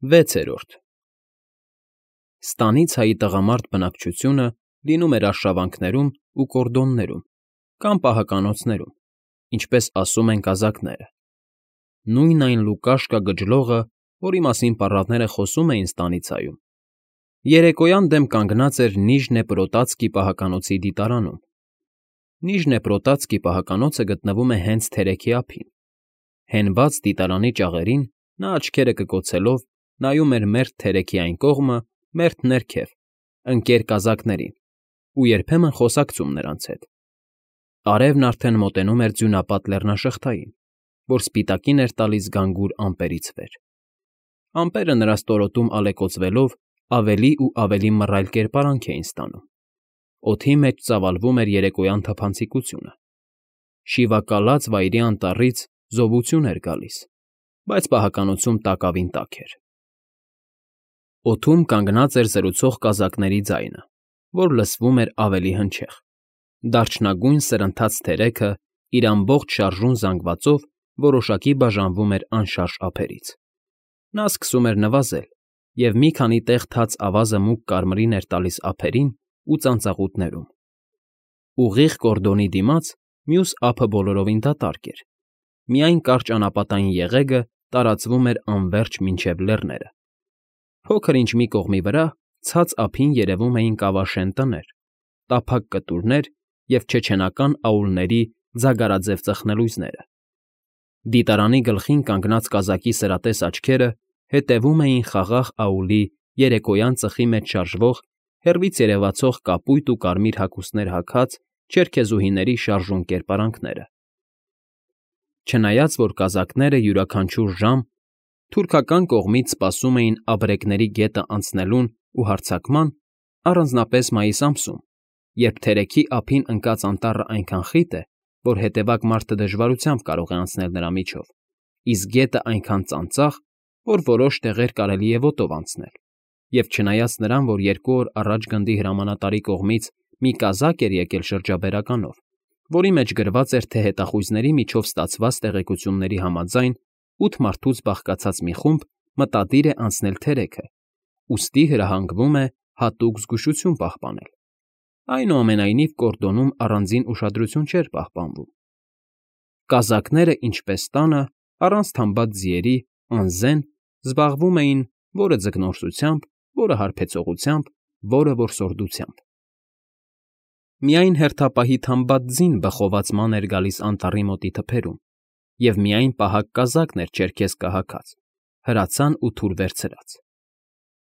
6-րդ Ստանից֊հայի տղամարդ բնակչությունը լինում էր արշավանքներում ու կորդոններում կամ պահականոցներում, ինչպես ասում են կազակները. նույն այն Լուկաշկա գջլողը, որի մասին պառավները խոսում էին Ստանից֊հայում, երեկոյան դեմ կանգնած էր Նիժնեպրոտացկի պահականոցի դիտարանում։ Նիժնեպրոտացկի պահականոցը գտնվում է հենց թերեքի ափին։ Հենված դիտարանի ճաղերին նա աչքերը կկոցելով նայում էր մերթ թերեքի այն կողմը, մերթ ներքև, ընկեր կազակներին ու երբեմն խոսակցում նրանց հետ։ Արևն արդեն մոտենում էր ձյունապատ լեռնաշղթային, որ սպիտակին էր տալիս գանգուր ամպերից վեր։ Ամպերը նրա ստորոտում ալեկոծվելով ավելի ու ավելի մռայլ կերպարանք էին ստանում։ Օդի մեջ ծավալվում էր երեկոյան թափանցիկությունը։ Շիվակալած վայրի անտառից զովություն էր գալիս, բայց պահականոցում տակավին տաք էր։ Օդում կանգնած էր զրուցող կազակների ձայնը, որ լսվում էր ավելի հնչեղ։ Դարչնագույն սրընթաց թերեքը իր ամբողջ շարժուն զանգվածով որոշակի բաժանվում էր անշարժ ափերից։ Նա սկսում էր նվազել, և մի քանի տեղ թաց ավազը մուգ կարմիրին էր տալիս ափերին ու ծանծաղուտներում։ Ուղիղ կորդոնի դիմաց մյուս ափը բոլորովին դատարկ էր, միայն կարճ անապատային եղեգը տարածվում էր անվերջ մինչև լեռները։ Փոքր-ինչ մի կողմի վրա ցած ափին երևում էին կավաշեն տներ, տափակ կտուրներ և չեչենական աուլների ձագարաձև ծխնելույզները։ Դիտարանի գլխին կանգնած կազակի սրատես աչքերը հետևում էին խաղաղ աուլի երեկոյան ծխի մեջ շարժվող, հեռվից երևացող կապույտ ու կարմիր հագուստներ հագած չերքեզուհիների շարժուն կերպարանքները։ Չնայած որ կազակները յուրաքանչյուր ժամ թուրքական կողմից սպասում էին ապրեկների գետը անցնելուն ու հարձակման, առանձնապես մայիս ամսում, երբ թերեքի ափին ընկած անտառը այնքան խիտ է, որ հետևակ մարդը դժվարությամբ կարող է անցնել նրա միջով, իսկ գետը այնքան ծանծաղ, որ որոշ տեղեր կարելի է ոտով անցնել, և չնայած նրան, որ 2 օր առաջ գնդի հրամանատարի կողմից մի կազակ էր եկել շրջաբերականով, որի մեջ գրված էր, թե հետախույզների միջով ստացված տեղեկությունների համաձայն 8 մարդուց բաղկացած մի խումբ մտադիր է անցնել թերեքը, ուստի հրահանգվում է հատուկ զգուշություն պահպանել։ Այնուամենայնիվ կորդոնում առանձին ուշադրություն չէր պահպանվում։ Կազակները, ինչպես տանը, առանց թամբած ձիերի, անզեն, զբաղվում էին որը ձկնորսությամբ, որը հարբեցողությամբ, որը որսորդությամբ։ Միայն հերթապահի թամբած ձին բխոված ման էր գալիս անտառի մոտի թփերում, և միայն պահակ կազակն էր չերքեզկա հագած, հրացան ու թուր վերցրած։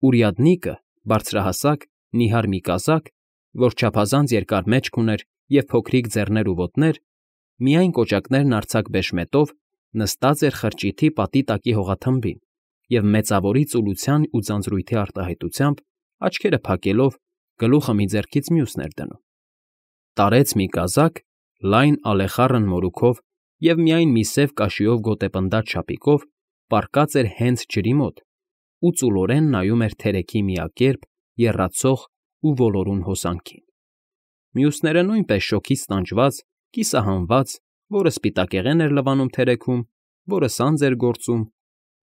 Ուրյադնիկը, բարձրահասակ, նիհար մի կազակ, որ չափազանց երկար մեջք ուներ և փոքրիկ ձեռներ ու ոտներ, միայն կոճակներն արձակ բեշմետով, նստած էր խրճիթի պատի տակի հողաթմբին և մեծավորի ծուլության ու ձանձրույթի արտահայտությամբ, աչքերը փակելով, գլուխը մի ձեռքից մյուսն էր դնում։ Տարեց մի կազակ, լայն ալեխառն մորուքով և միայն մի սև կաշիով գոտեպնդած շապիկով պառկած էր հենց ջրի մոտ ու ծուլորեն նայում էր թերեքի միակերպ, եռացող ու ոլորուն հոսանքին։ Մյուսները նույնպես շոգից տանջված, կիսահանված, որը սպիտակեղեն էր լվանում թերեքում, որը սանձ էր գործում,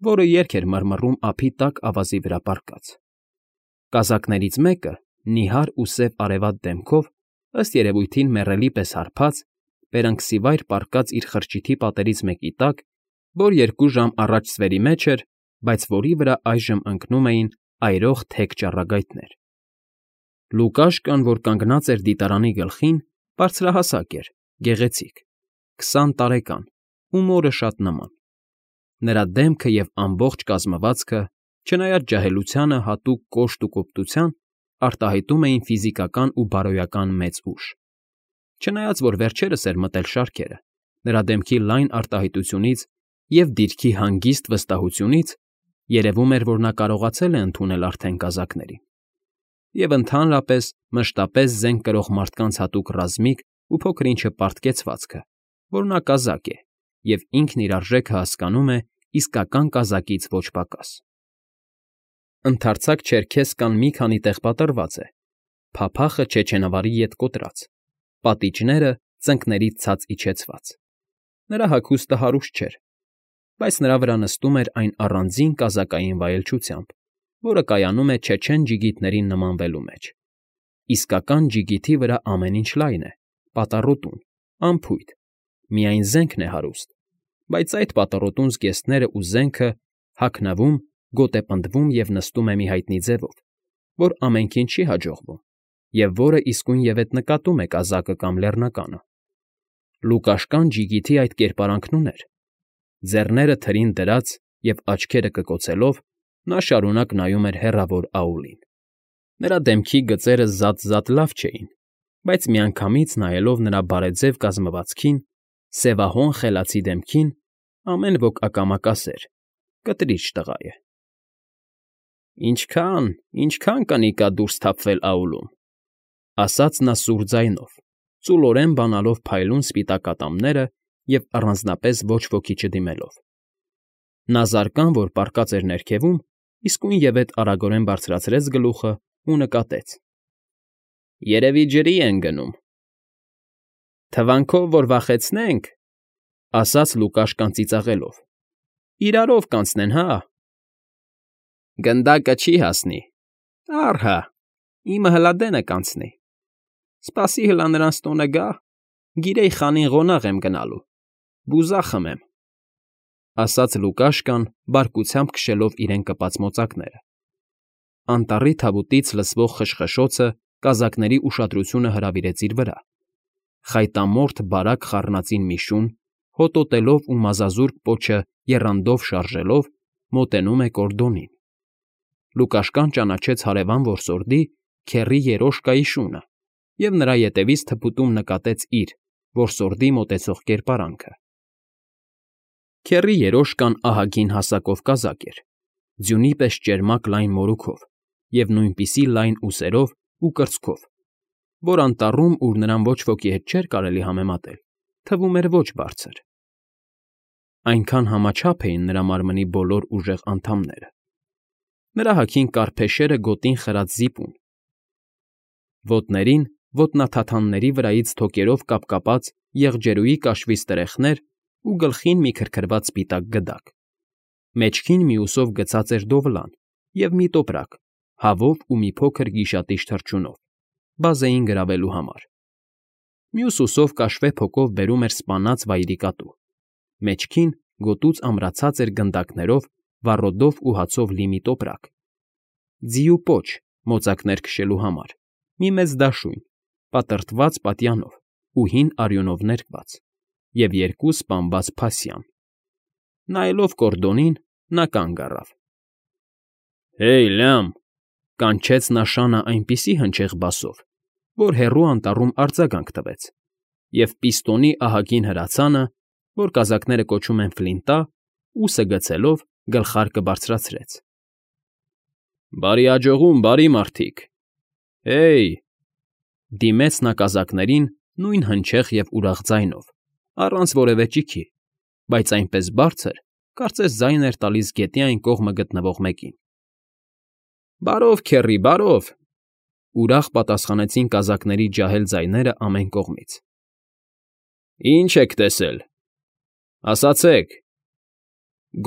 որը երգ էր մռմռում ափի տակ ավազի վրա պառկած։ Կազակներից մեկը, նիհար ու սև արևատ դեմքով, ըստ երևույթին մեռելի պես հարբած, բերանքսիվայր պառկած իր խրճիթի պատերից մեկի տակ, որ 2 ժամ առաջ ստվերի մեջ էր, բայց որի վրա այժմ ընկնում էին այրող թեք ճառագայթներ։ Լուկաշկան, որ կանգնած էր դիտարանի գլխին, բարձրահասակ էր, գեղեցիկ, 20 տարեկան ու մորը շատ նման։ Նրա դեմքը և ամբողջ կազմվածքը, չնայած ջահելությանը հատուկ կոշտ ու կոպտության, արտահայտում էին ֆիզիկական ու բարոյական մեծ ուժ։ Չնայած որ վերջերս էր մտել շարքերը, նրա դեմքի լայն արտահայտությունից և դիրքի հանգիստ վստահությունից երևում էր, որ նա կարողացել է ընդունել արդեն կազակներին։ Եվ ընդհանրապես մշտապես զենք կրող մարդկանց հատուկ ռազմիկ ու փոքր֊ինչը պարտկեցվածքը, որ նա կազակ է և ինքն իր արժեքը հասկանում է իսկական կազակից ոչ պակաս։ Ընդարձակ չերքեզկան մի քանի տեղ պատռված է, փափախը չեչենավարի ետ կոտրած, պատիճները ծնկներից ցած իջեցված։ Նրա հագուստը հարուստ չէր, բայց նրա վրա նստում էր այն առանձին կազակային վայելչությամբ, որը կայանում է չեչեն ջիգիտներին նմանվելու մեջ։ Իսկական ջիգիթի վրա ամեն ինչ լայն է, պատառոտուն, անփույթ, միայն զենքն է հարուստ, բայց այդ պատառոտուն զգեստներն ու զենքը հագնվում, գոտեպնդվում և նստում է մի հայտնի ձևով, որ ամենքին չի հաջողվում և որը իսկույնևեթ նկատում է կազակը կամ լեռնականը։ Լուկաշկան ջիգիթի այդ կերպարանքն ուներ։ Ձեռները թրին դրած և աչքերը կկոցելով՝ նա շարունակ նայում էր հեռավոր Աուլին։ Նրա դեմքի գծերը զատ-զատ լավ չէին, բայց միանգամից նայելով նրա բարեձև կազմվածքին, սևահոն խելացի դեմքին, ամեն ոք ակամա կասեր. «Կտրիչ տղա է»։ Ինչքա՜ն կնիկա դուրս թափվել Աուլում,֊ ասաց նա սուր ձայնով, ծուլորեն բանալով փայլուն սպիտակ ատամները և առանձնապես ոչ ոքի չդիմելով։ Նա զարկան, որ պառկած էր ներքևում, իսկույնևեթ արագորեն բարձրացրեց գլուխն ու նկատեց. «Երևի ջրի են գնում»։ «Թվանքով, որ վախեցնենք,֊ ասաց Լուկաշկան ծիծաղելով,֊ իրարով կանցնեն, հա»։ «Գնդակը չի հասնի, առ հա, իմը հլա դենը կանցնի։ Սպասի հլա նրանց տունը գա, գիրեի խանին ղոնաղ եմ գնալու, բուզա խմեմ»,֊ ասաց Լուկաշկան, բարկությամբ քշելով իրեն կպած մոծակները։ Անտառի թավուտից լսվող խշխշոցը կազակների ուշադրությունը հրավիրեց իր վրա։ Խայտամորթ բարակ խառնածին մի շուն, հոտոտելով ու մազազուրկ պոչը եռանդով շարժելով, մոտենում է կորդոնին։ Լուկաշկան ճանաչեց հարևան որսորդի Քեռի Երոշկայի շունը և նրա ետևից թփուտում նկատեց իր՝ որսորդի մոտեցող կերպարանքը։ Քեռի Երոշկան ահագին հասակով կազակ էր, ձյունի պես ճերմակ լայն մորուքով և նույնպիսի լայն ուսերով ու կրծքով, որ անտառում, ուր նրան ոչ ոքի հետ չէր կարելի համեմատել, թվում էր ոչ բարձր։ Այնքան համաչափ էին նրա մարմնի բոլոր ուժեղ անդամները։ Նրա հագին կար֊փեշերը գոտին խրած զիպուն, ոտներին ոտնաթաթանների վրայից թոկերով կապկապած եղջերուի կաշվի ստրեխներ ու գլխին մի քրքրված սպիտակ գդակ։ Մեջքին մյուսով գցած էր դովլան և մի տոպրակ, հավով ու մի փոքր գիշատիչ թռչունով, բազեին գրավելու համար։ Մյուս ուսով կաշվե փոկով բերում էր սպանած վայրի կատու։ Մեջքին գոտուց ամրացած էր գնդակներով, վառոդով ու հացով լի մի տոպրակ։ Ձիու պոչ, մոծակներ քշելու համար, մի մեծ դաշույն, պատրտված պատյանով ու հին արյունով ներկված, և երկու սպանված փասյան։ Նայելով կորդոնին՝ նա կանգ առավ։ «Հեյ, լյամ,֊ կանչեց նա շանը այնպիսի հնչեղ բասով, որ հեռու անտառում արձագանք տվեց, և պիստոնի ահագին հրացանը, որ կազակները կոչում են Ֆլինտա, ուսը գցելով գլխարկը բարձրացրեց։ Բարի աջողում, բարի մարդիկ, հեյ…֊ դիմեց նա կազակներին նույն հնչեղ և ուրախ ձայնով, առանց որևէ ճիգի, բայց այնպես բարձր, կարծես ձայն էր տալիս գետի այն կողմը գտնվող մեկին։ «Բարով, քեռի, բարով…֊ ուրախ պատասխանեցին կազակների ջահել ձայները ամեն կողմից։ «Ի՞նչ եք տեսել, ասացեք…֊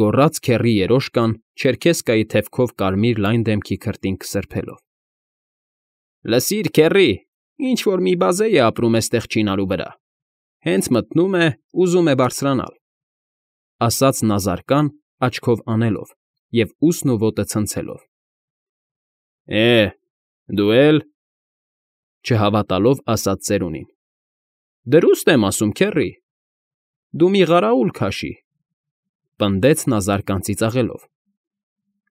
գոռաց քեռի Երոշկան չերքեզկայի թևքով կարմիր լայն դեմքի քրտինքը սրբելով։ Լսիր, քեռի, ինչ֊որ մի բազեյ է ապրում էստեղ չինարու վրա, հենց մտնում է, ուզում է բարձրանալ,֊ ասաց նա զարկան, աչքով անելով և ուսն ու ոտը ցնցելով։ Դու էլ…֊ չհավատալով ասաց ծերունին։ Դրուստ եմ ասում, քեռի, դու մի ղարաուլ քաշի,֊ պնդեց նա զարկան ծիծաղելով։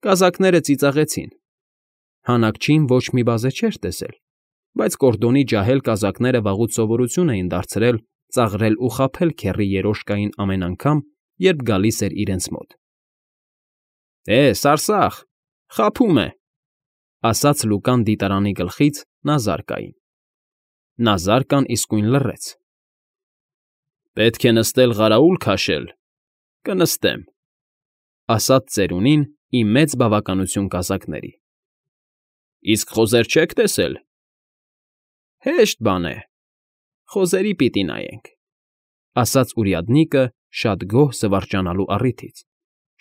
Կազակները ծիծաղեցին։ Հանակչին ոչ մի բազե չէր տեսել, բայց կորդոնի ջահել կազակները վաղուց սովորություն էին դարձրել ծաղրել ու խաբել քեռի Երոշկային ամեն անգամ, երբ գալիս էր իրենց մոտ։ Սարսախ, խաբում է,֊ ասաց Լուկան դիտարանի գլխից Նազարկային։ Նազարկան իսկույն լռեց։ Պետք է նստել ղարաուլ քաշել, կնստեմ,֊ ասաց ծերունին ի մեծ բավականություն կազակների։ Իսկ խոզեր չեք տեսել։ Հեշտ բան է, խոզերի պիտի նայենք,֊ ասաց урядникը շատ գոհ զվարճանալու առիթից,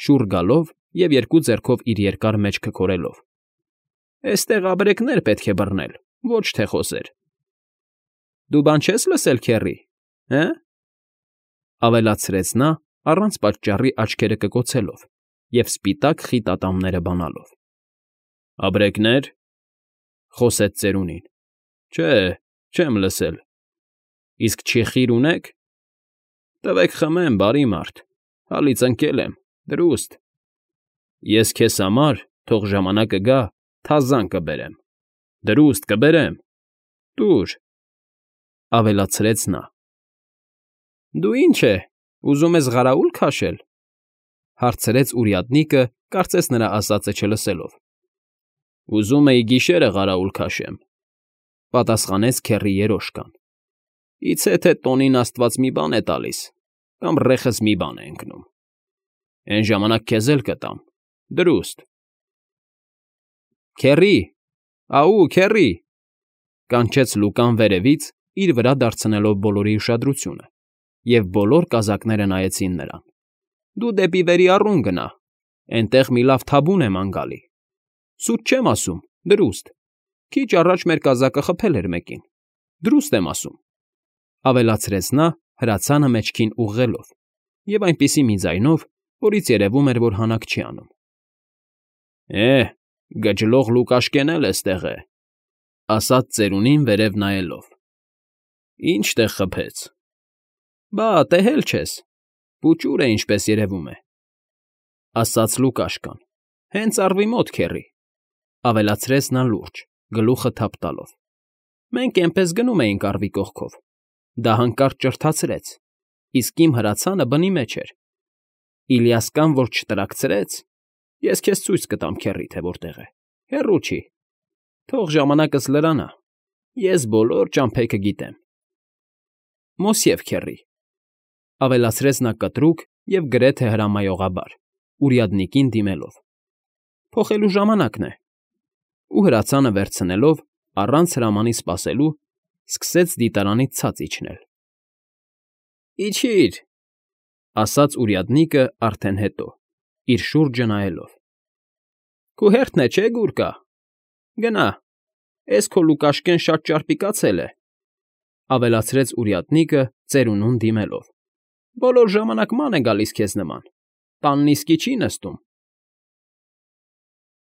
շուռ գալով և երկու ձեռքով իր երկար մեջքը քորելով։ Էստեղ ապրեկներ պետք է բռնել, ոչ թե խոսեր։ Դու բան չես լսել, քեռի, հը՞, ավելացրեց նա, առանց պատճառի աչքերը կկոցելով և սպիտակ խիտ ատամները բանալով։ Ապրեկնե՞ր,֊ խոսեց ծերունին։ Չէ, չեմ լսել։ Իսկ չիխի՞ր ունեք։ Տվեք խմեմ, բարի մարդ, հալից ընկել եմ, դրուստ։ Ես քեզ համար, թող ժամանակը գա, թազան կբերեմ, դրուստ կբերեմ, տուր,֊ ավելացրեց նա։ Դու ինչ է, ուզում ես ղարաուլ քաշել,֊ հարցրեց урядնիկը, կարծես նրա ասածը չլսելով։ Ուզում էի գիշերը ղարաուլ քաշեմ,֊ պատասխանեց քեռի երոշկան։ Իցե թե տոնին աստված մի բան է տալիս, կամ ռեխս մի բան է ընկնում։ Էն ժամանակ քեզ էլ կտամ, դրուստ։ Քեռի, աու, քեռի,֊ կանչեց Լուկան վերևից, իր վրա դարձնելով բոլորի ուշադրությունը, և բոլոր կազակները նայեցին նրան։ Դու դեպի վերի առուն գնա, էնտեղ մի լավ թաբուն է ման գալի։ Սուտ չեմ ասում, դրուստ։ Քիչ առաջ մեր կազակը խփել էր մեկին, դրուստ եմ ասում,֊ ավելացրեց նա, հրացանը մեջքին ուղղելով, և այնպիսի մի ձայնով, որից երևում էր, որ հանակ չի անում։ Գջլող Լուկաշկեն էլ էստեղ է,֊ ասաց ծերունին վերև նայելով։ Ինչ տեղ խփեց։ Բա, տեհել չես, պուճուր է, ինչպես երևում է,֊ ասաց Լուկաշկան։ Հենց առվի մոտ, քեռի,֊ ավելացրեց նա լուրջ, գլուխը թափ տալով։ Մենք էնպես գնում էինք առվի կողքով։ Դա հանկարծ ճրթացրեց, իսկ իմ հրացանը բնի մեջ էր։ Իլիասկան որ չտրաքցրեց, ես քեզ ցույց կտամ, քեռի, թե որտեղ է, հեռու չի։ Թող ժամանակս լրանա, ես բոլոր ճամփեքը գիտեմ։ Մոսև քեռի,֊ ավելացրեց նա կտրուկ և գրեթե հրամայողաբար, урядникին դիմելով։ Փոխելու ժամանակն է։ Ու հրացանը վերցնելով, առանց հրամանի սպասելու, սկսեց դիտարանից ցած իջնել։ Իջի՛ր,֊ ասաց урядникը արդեն հետո, իր շուրջը նայելով։ Քո հերթն է, չէ՞, գուրկա։ Գնա, էս քո Լուկաշկեն շատ ճարպիկացել է,֊ ավելացրեց урядникը ծերունուն դիմելով։ Բոլոր ժամանակ ման է գալիս քեզ նման, տանն իսկի չի նստում։